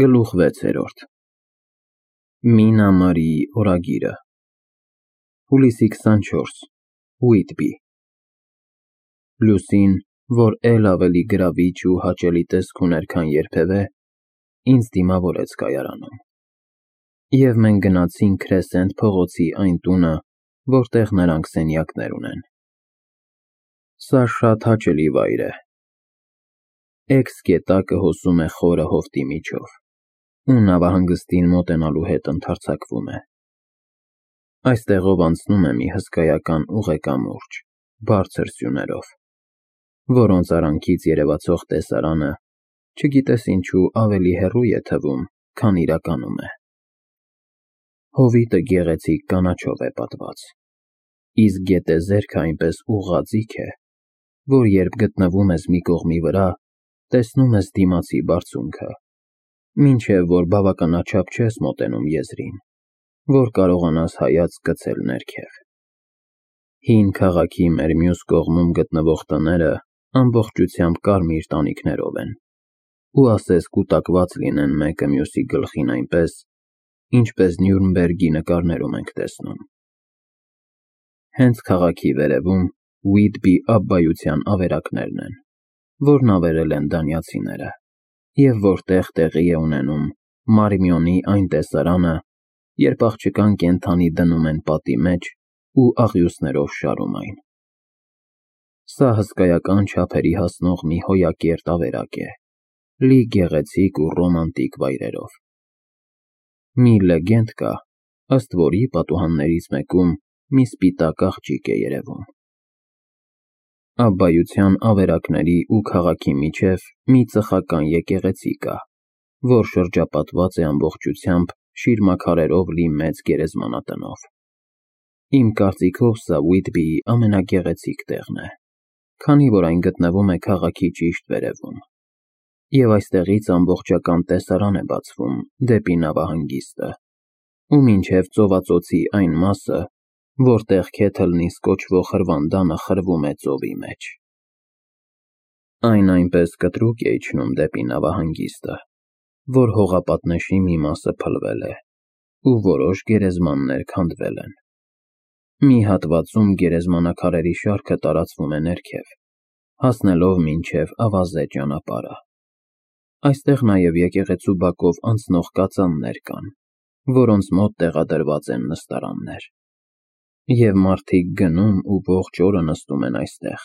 Գլուխ 6 Մինա Մարի օրագիրը Հուլիսի 24 Ուիտբի Լուսին, որ էլ ավելի գրավիչ ու հաճելի տեսք ուներ, քան երբևէ, ինձ դիմավորեց կայարանում։ Եվ մենք գնացինք Քրեսենտ փողոցի այն տունը, որտեղ նրանք սենյակներ ունեն։ Սա շատ հաճելի վայր է։ Էքս գետակը հոսում է խորը հովտի միջով, ու նավահանգստին մոտենալու հետ ընդարձակվում է։ Այստեղով անցնում է մի հսկայական ուղեկամուրջ, բարձր սյուներով, որոնց արանքից երևացող տեսարանը, չգիտես ինչու, ավելի հեռու է թվում, քան իրականում է։ Հովիտը գեղեցիկ կանաչով է պատված, իսկ գետեզերքը այնպես ուղղաձիգ է, որ երբ գտնվում ես մի կողմի վրա, տեսնում ես դիմացի բարձունքը, մինչև որ բավականաչափ չես մոտենում եզրին, որ կարողանաս հայացք գցել ներքև։ Հին քաղաքի մեր մյուս կողմում գտնվող տները ամբողջությամբ կարմիր տանիքներով են, ու ասես կուտակված լինեն մեկը մյուսի գլխին այնպես, ինչպես Նյուրնբերգի նկարներում ենք տեսնում։ Հենց քաղաքի վերևում Ուիտբի Աբբայության ավերակներն են, որն ավերել են դանիացիները, և որտեղ տեղի է ունենում Մարմիոնի այն տեսարանը, երբ աղջկան կենդանի դնում են պատի մեջ ու աղյուսներով շարում այն։ Սա հսկայական չափերի հասնող մի հոյակերտ ավերակ է, լի գեղեցիկ ու ռոմանտիկ վայրերով։ Մի լեգենդ կա, ըստ որի պատուհաններից մեկում մի սպիտակ աղջիկ է երևում։ Աբբայության ավերակների ու քաղաքի միջև մի ծխական եկեղեցի կա, որ շրջապատված է ամբողջությամբ շիրմաքարերով լի մեծ գերեզմանատնով։ Իմ կարծիքով սա Ուիտբիի ամենագեղեցիկ տեղն է, քանի որ այն գտնվում է քաղաքի ճիշտ վերևում, և այստեղից ամբողջական տեսարան է բացվում դեպի նավահանգիստը, ու մինչև ծովածոցի այն մասը, որտեղ Քեթլնիս կոչվող հրվանդանը խրվում է ծովի մեջ։ Այն այնպես կտրուկ է իջնում դեպի նավահանգիստը, որ հողապատնեշի մի մասը փլվել է, ու որոշ գերեզմաններ քանդվել են։ Մի հատվածում գերեզմանաքարերի շարքը տարածվում է ներքև, հասնելով մինչև ավազե ճանապարհը։ Այստեղ նաև եկեղեցու բակով անցնող կածաններ կան, որոնց մոտ տեղադրված են նստարաններ։ Եվ մարդիկ գնում ու ողջ օրը նստում են այստեղ,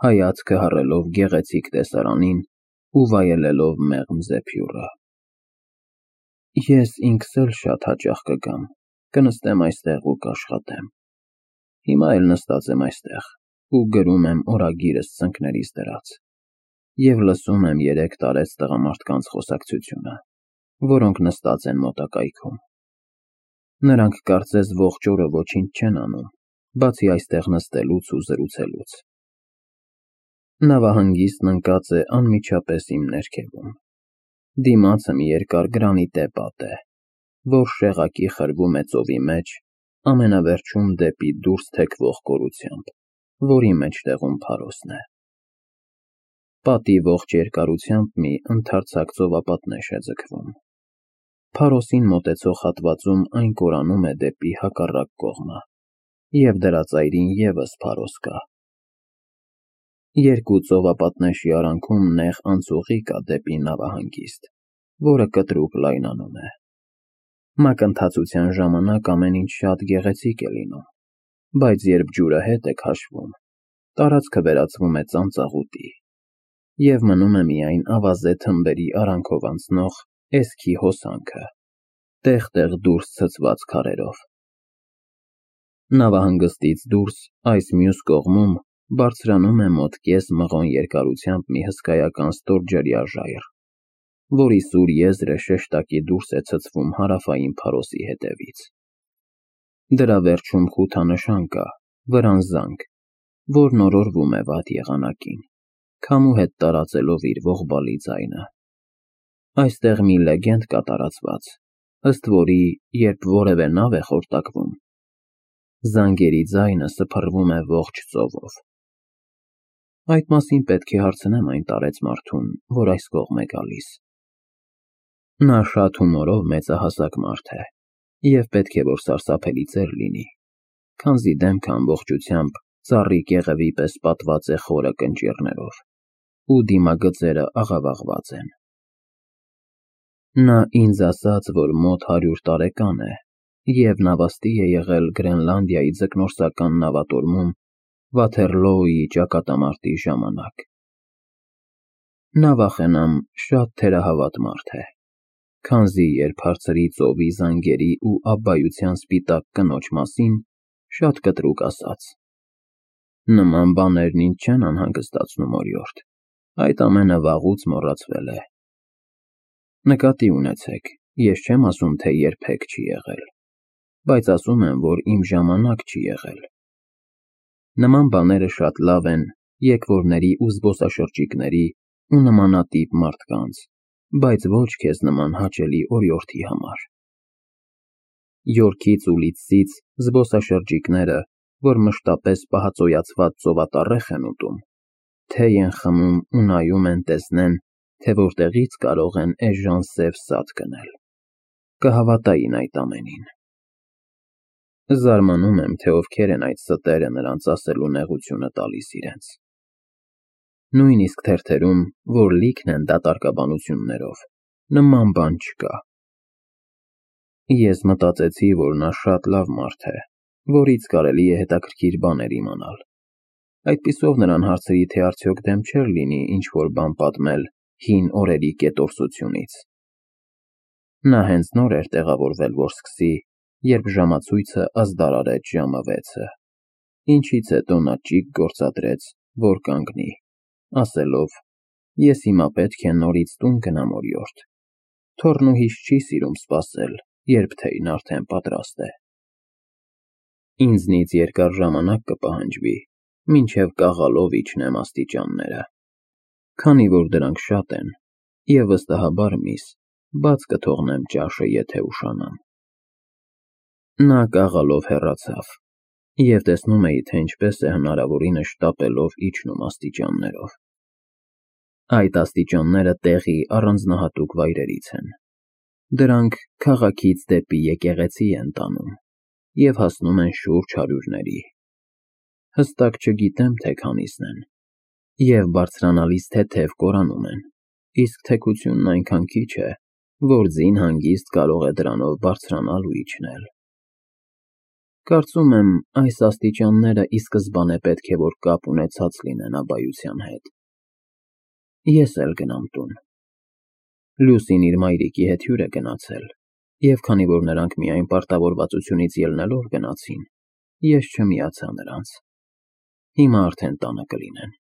հայացքը հառելով գեղեցիկ տեսարանին ու վայելելով մեղմ զեփյուռը։ Ես ինքս էլ շատ հաճախ կգամ, կնստեմ այստեղ ու կաշխատեմ։ Հիմա էլ նստած եմ այստեղ ու գրում եմ օրագիրս ծնկներիս դրած, և լսում եմ 3 տարեց տղամարդկանց խոսակցությունը, որոնք նստած են մոտակայքում։ Նրանք կարծես ողջ օրը ոչինչ չեն անում, բացի այստեղ նստելուց ու զրուցելուց։ Նավահանգիստն ընկած է անմիջապես իմ ներքևում։ Դիմացը մի երկար գրանիտե պատ է, որ շեղակի խրվում է ծովի մեջ, ամենավերջում դեպի դուրս թեքվող կորությամբ, որի մեջտեղում փարոսն է։ Պատի ողջ երկարությամբ մի ընդարձակ ծովապատնեշ է ձգվում։ Փարոսին մոտեցող հատվածում այն կորանում է դեպի հակառակ կողմը, և դրա ծայրին ևս փարոս կա։ Երկու ծովապատնեշի արանքում նեղ անցուղի կա դեպի նավահանգիստ, որը կտրուկ լայնանում է։ Մակընթացության ժամանակ ամեն ինչ շատ գեղեցիկ է լինում, բայց երբ ջուրը հետ է քաշվում, տարածքը վերածվում է ծանծաղուտի, և մնում է միայն ավազե թմբերի արանքով անցնող էսքի հոսանքը, տեղ-տեղ դուրս ցցված քարերով։ Նավահանգստից դուրս այս մյուս կողմում բարձրանում է մոտ կես մղոն երկարությամբ մի հսկայական ստորջրյա ժայռ, որի սուր եզրը շեշտակի դուրս է ցցվում հարավային փարոսի հետևից։ Դրա վերջում խութանշան կա, վրանզանք, որն օրորվում է վատ եղանակին, քամու հետ տարածելով իր ողբալի ձայնը։ Այստեղ մի լեգենդ կա տարածված, ըստ որի, երբ որևէ նավ է խորտակվում, զանգերի ձայնը սփռվում է ողջ ծովով։ Այդ մասին պետք է հարցնեմ այն տարեց մարդուն, որ այս կողմ է գալիս։ Նա շատ հումորով մեծահասակ մարդ է, և պետք է, որ սարսափելի ծեր լինի, քանզի դեմքը ամբողջությամբ ծառի կեղևի պես պատված է խորը կնճիռներով, ու դիմագծերը աղավաղված են։ Նա ինձ ասաց, որ մոտ 100 տարեկան է և նավաստի է եղել Գրենլանդիայի ձկնորսական նավատորմում Վաթերլոուի ճակատամարտի ժամանակ։ Նավախենամ շատ թերահավատ մարդ է, քանզի երբ հարցրի ծովի զանգերի ու աբբայության սպիտակ կնոջ մասին, շատ կտրուկ ասաց. «Նման բաներն ինձ չեն անհանգստացնում, օրիորդ, այդ ամենը վաղուց մոռացվել է»։ Նկատի ունեցեք, ես չեմ ասում, թե երբեք չի եղել, բայց ասում եմ, որ իմ ժամանակ չի եղել։ Նման բաները շատ լավ են եկվորների ու զբոսաշրջիկների ու նմանատիպ մարդկանց, բայց ոչ քեզ նման հաճելի օրիորդի համար։ Յորքից ու Լիդսից զբոսաշրջիկները, որ մշտապես պահածոյացված ծովատառեխ են ուտում, թեյ են խմում ու նայում են տեսնեն, թե որտեղից կարող են էժան սև սատ գնել, կհավատային այդ ամենին։ Զարմանում եմ, թե ովքեր են այդ ստերը նրանց ասելու նեղությունը տալիս իրենց։ Նույնիսկ թերթերում, որ լիքն են դատարկաբանություններով, նման բան չկա։ Ես մտածեցի, որ նա շատ լավ մարդ է, որից կարելի է հետաքրքիր բաներ իմանալ։ Այդպիսով նրան հարցրի, թե արդյոք դեմ չէր լինի ինչ-որ բան պատմել հին օրերի կետորսությունից։ Նա հենց նոր էր տեղավորվել, որ սկսի, երբ ժամացույցը ազդարարեց ժամը 6-ը, ինչից հետո նա ճիգ գործադրեց, որ կանգնի, ասելով. «Ես հիմա պետք է նորից տուն գնամ, օրիորդ։ Թոռնուհիս չի սիրում սպասել, երբ թեյն արդեն պատրաստ է։ Ինձնից երկար ժամանակ կպահանջվի, մինչև կաղալով իջնեմ աստիճանները, քանի որ դրանք շատ են, և վստահաբար միս, բաց կթողնեմ ճաշը, եթե ուշանամ»։ Նա կաղալով հեռացավ, և տեսնում էի, թե ինչպես է հնարավորինս շտապելով իջնում աստիճաններով։ Այդ աստիճանները տեղի առանձնահատուկ վայրերից են։ Դրանք քաղաքից դեպի եկեղեցի են տանում և հասնում են շուրջ 100-ների։ Հստակ չգիտեմ, թե քանիսն են, և բարձրանալիս թեթև կորանում են, իսկ թեքությունն այնքան քիչ է, որ ձին հանգիստ կարող է դրանով բարձրանալ ու իջնել։ Կարծում եմ, այս աստիճանները ի սկզբանե պետք է որ կապ ունեցած լինեն աբբայության հետ։ Ես էլ գնամ տուն։ Լուսին իր մայրիկի հետ հյուր է գնացել, և քանի որ նրանք միայն պարտավորվածությունից ելնելով գնացին, ես չմիացա նրանց։ Հիմա արդեն տանը կլինեն։